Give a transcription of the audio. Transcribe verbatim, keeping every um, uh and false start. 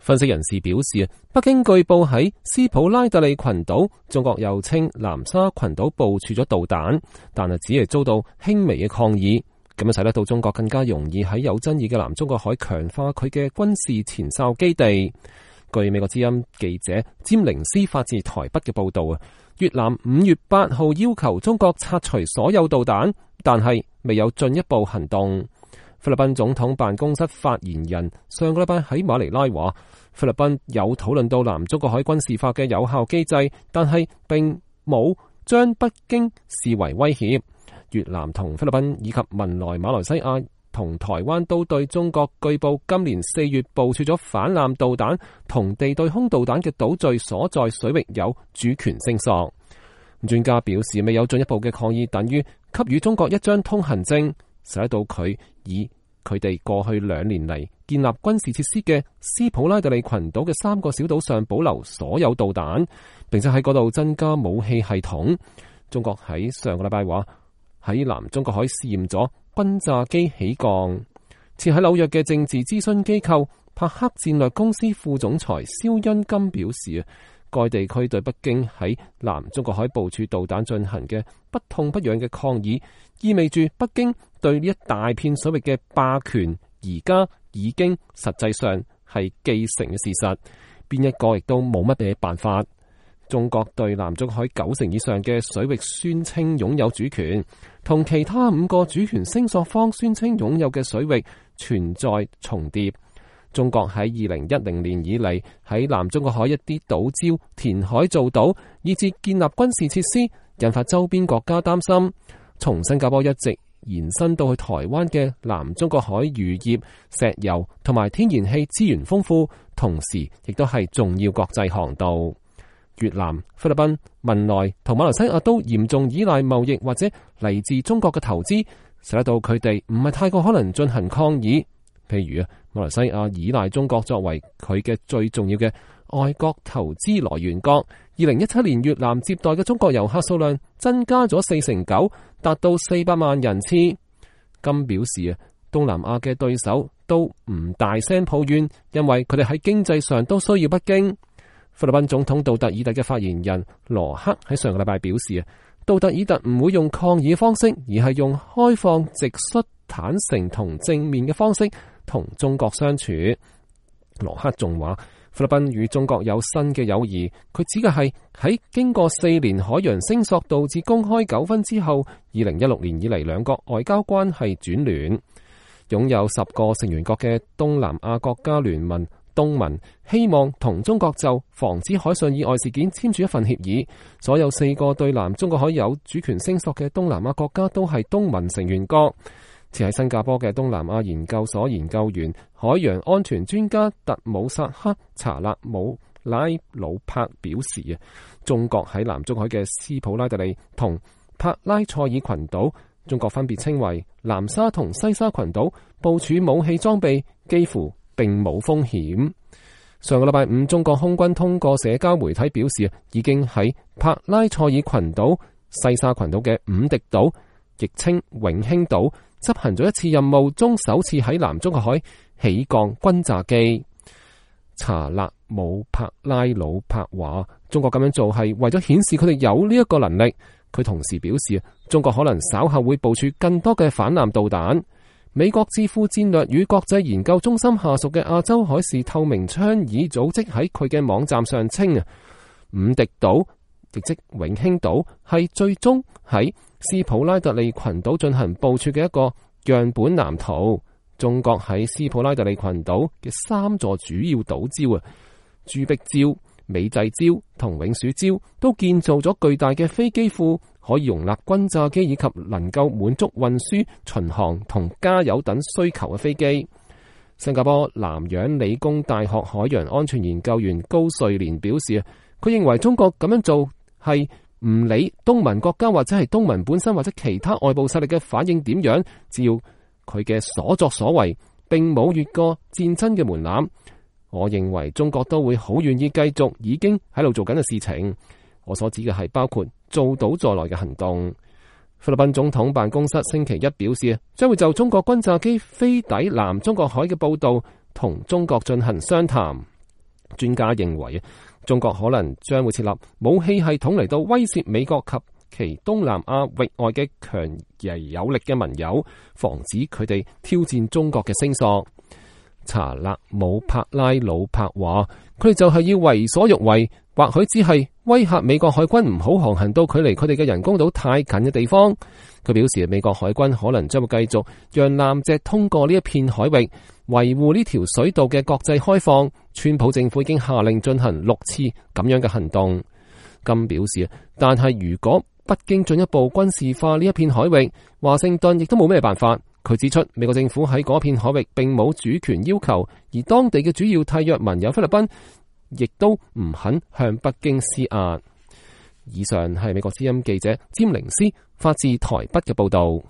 分析人士表示，北京據報喺斯普拉特利群島，中國又稱南沙群島部署咗導彈，但係只係遭到輕微嘅抗議，咁樣使得到中國更加容易喺有爭議嘅南中國海強化佢嘅軍事前哨基地。據美國之音記者詹寧斯發自台北嘅報道啊，越南五月八號要求中國拆除所有導彈，但係未有進一步行動。菲律賓總統辦公室發言人上個禮拜喺馬尼拉話，菲律賓有討論到南中國海軍事化嘅有效機制，但係並冇將北京視為威脅。越南同菲律賓以及文萊、馬來西亞同台灣都對中國據報今年四月部署咗反艦導彈同地對空導彈嘅島嶼所在水域有主權聲索。專家表示，未有進一步嘅抗議等於給予中國一張通行證，使得到佢以佢哋過去兩年嚟建立軍事設施嘅斯普拉特利群島嘅三個小島上保留所有導彈，並且喺嗰度增加武器系統。中國喺上個禮拜話喺南中國海試驗咗轟炸機起降。設喺紐約嘅政治諮詢機構帕克戰略公司副總裁蕭恩金表示，該地區對北京喺南中國海部署導彈進行嘅不痛不癢嘅抗議，意味住北京對呢一大片水域嘅霸權而家已經實際上係既成嘅事實，邊一個亦都冇乜嘢辦法。中國對南中國海九成以上嘅水域宣稱擁有主權，同其他五個主權聲索方宣稱擁有嘅水域存在重疊。中國喺二零一零年以嚟喺南中國海一啲島礁填海造島，以至建立軍事設施，引發周邊國家擔心。從新加坡一直延伸到去台灣嘅南中國海漁業、石油同埋天然氣資源豐富，同時亦都係重要國際航道。越南、菲律賓、文萊同馬來西亞都嚴重依賴貿易或者嚟自中國嘅投資，使得到佢哋唔係太過可能進行抗議。譬如啊，馬來西亞依賴中國作為佢嘅最重要嘅外國投資來源國。二零一七年越南接待嘅中國遊客數量增加咗四成九，達到四百萬人次。金表示啊，東南亞嘅對手都唔大聲抱怨，因為佢哋喺經濟上都需要北京。菲律賓總統杜特爾特嘅發言人羅克喺上個禮拜表示啊，杜特爾特唔會用抗議嘅方式，而係用開放、直率、坦誠同正面嘅方式同中國相處。羅克仲話，菲律賓與中國有新嘅友誼，佢指嘅係喺經過四年海洋聲索導致公開糾紛之後，二零一六年以嚟兩國外交關係轉暖。擁有十個成員國嘅東南亞國家聯盟東盟希望同中國就防止海上意外事件簽署一份協議。所有四個對南中國海有主權聲索嘅東南亞國家都係東盟成員國。設喺新加坡嘅東南亞研究所研究員、海洋安全專家特姆薩克查勒姆拉魯柏表示啊，中國喺南中海嘅斯普拉特利同帕拉塞爾群島，中國分別稱為南沙同西沙群島，部署武器裝備幾乎並冇風險。上個禮拜五，中國空軍通過社交媒體表示，已經喺帕拉塞爾群島、西沙群島嘅五敵島，亦稱永興島，執行咗一次任務中首次喺南中國海起降轟炸機。查勒姆帕拉魯柏話，中國咁樣做係為咗顯示佢哋有呢一個能力。佢同時表示，中國可能稍後會部署更多嘅反艦導彈。美國智庫戰略與國際研究中心下屬嘅亞洲海事透明倡議組織喺佢嘅網站上稱啊，五敵島亦即永興島係最終喺斯普拉特利群島進行部署嘅一個樣本藍圖。中國喺斯普拉特利群島嘅三座主要島礁啊，朱碧礁、美濟礁同永暑礁都建造咗巨大嘅飛機庫，可以容納轟炸機以及能夠滿足運輸、巡航同加油等需求嘅飛機。新加坡南洋理工大學海洋安全研究員高瑞蓮表示，佢認為中國咁樣做係唔理東盟國家或者係東盟本身或者其他外部勢力嘅反應點樣，只要佢嘅所作所為並冇越過戰爭嘅門檻，我認為中國都會好願意繼續已經喺度做緊嘅事情。我所指嘅係包括做到在內嘅行動。菲律賓總統辦公室星期一表示，將會就中國轟炸機飛抵南中國海嘅報道同中國進行商談。專家認為，中國可能將會設立武器系統嚟到威懾美國及其東南亞域外嘅強而有力嘅盟友，防止佢哋挑戰中國嘅聲索。查勒姆帕拉魯帕話，佢哋就係要為所欲為，或許只係威嚇美國海軍唔好航行到距離佢哋嘅人工島太近嘅地方。佢表示，美國海軍可能將會繼續讓艦隻通過呢一片海域，維護呢條水道嘅國際開放。川普政府已經下令進行六次咁樣嘅行動。金表示，但係如果北京進一步軍事化呢一片海域，華盛頓亦都冇咩辦法。佢指出，美國政府喺嗰片海域並冇主權要求，而當地嘅主要締約盟友菲律賓亦都唔肯向北京施壓。以上係美國之音記者詹寧斯發自台北嘅報道。